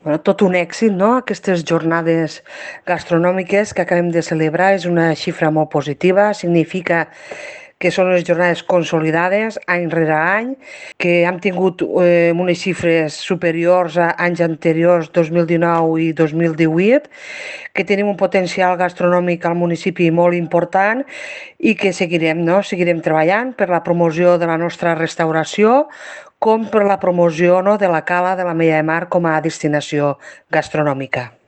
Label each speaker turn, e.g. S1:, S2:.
S1: Tot un èxit, no? Aquestes jornades gastronòmiques que acabem de celebrar és una xifra molt positiva, significa que són les jornades consolidades any rere any, que hem tingut unes xifres superiors a anys anteriors, 2019 i 2018, que tenim un potencial gastronòmic al municipi molt important i que seguirem, no? Seguirem treballant per la promoció de la nostra restauració com per la promoció, no, de la Cala de la Mella de Mar com a destinació gastronòmica.